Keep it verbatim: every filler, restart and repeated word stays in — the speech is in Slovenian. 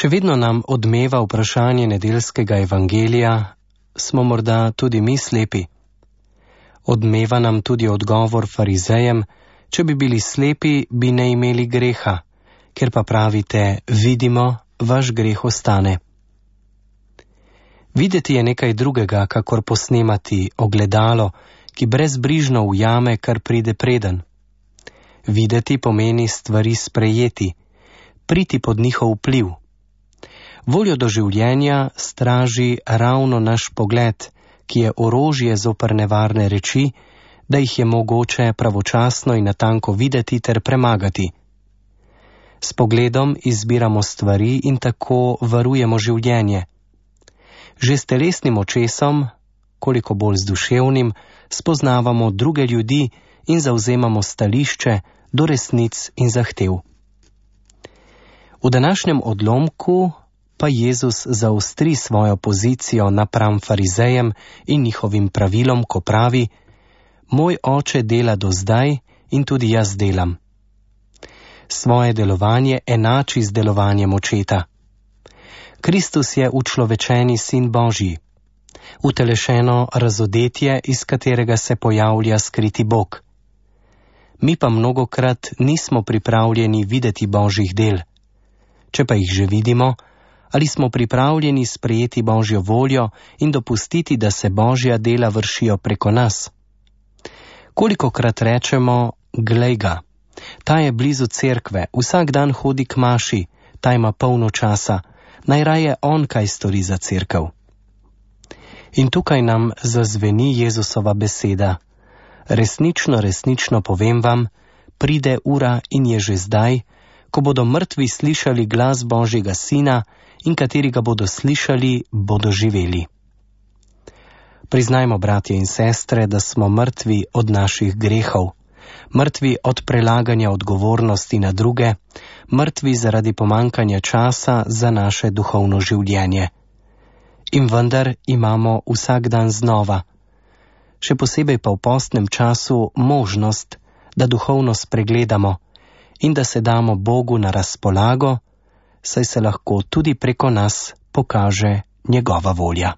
Še vedno nam odmeva vprašanje nedeljskega evangelija, smo morda tudi mi slepi? Odmeva nam tudi odgovor farizejem, če bi bili slepi, bi ne imeli greha, ker pa pravite, vidimo, vaš greh ostane. Videti je nekaj drugega, kakor posnemati ogledalo, ki brezbrižno ujame, kar pride preden. Videti pomeni stvari sprejeti, priti pod njihov vpliv. Voljo do življenja straži ravno naš pogled, ki je orožje zoper nevarne reči, da jih je mogoče pravočasno in natanko videti ter premagati. S pogledom izbiramo stvari in tako varujemo življenje. Že s telesnim očesom, koliko bolj z duševnim, spoznavamo druge ljudi in zavzemamo stališče do resnic in zahtev. V današnjem odlomku pa Jezus zaostri svojo pozicijo napram farizejem in njihovim pravilom, ko pravi: Moj oče dela do zdaj in tudi jaz delam. Svoje delovanje enači z delovanjem očeta. Kristus je učlovečeni sin Božji, utelešeno razodetje, iz katerega se pojavlja skriti Bog. Mi pa mnogokrat nismo pripravljeni videti Božjih del. Če pa jih že vidimo, ali smo pripravljeni sprejeti Božjo voljo in dopustiti, da se Božja dela vršijo preko nas? Kolikokrat rečemo, glej ga, ta je blizu cerkve, vsak dan hodi k maši, ta ima polno časa, najraje on kaj stori za cerkev. In tukaj nam zazveni Jezusova beseda: resnično, resnično povem vam, pride ura in je že zdaj, ko bodo mrtvi slišali glas Božjega Sina in kateri ga bodo slišali, bodo živeli. Priznajmo, bratje in sestre, da smo mrtvi od naših grehov, mrtvi od prelaganja odgovornosti na druge, mrtvi zaradi pomankanja časa za naše duhovno življenje. In vendar imamo vsak dan znova, še posebej pa v postnem času, možnost, da duhovno spregledamo in da se damo Bogu na razpolago, saj se lahko tudi preko nas pokaže njegova volja.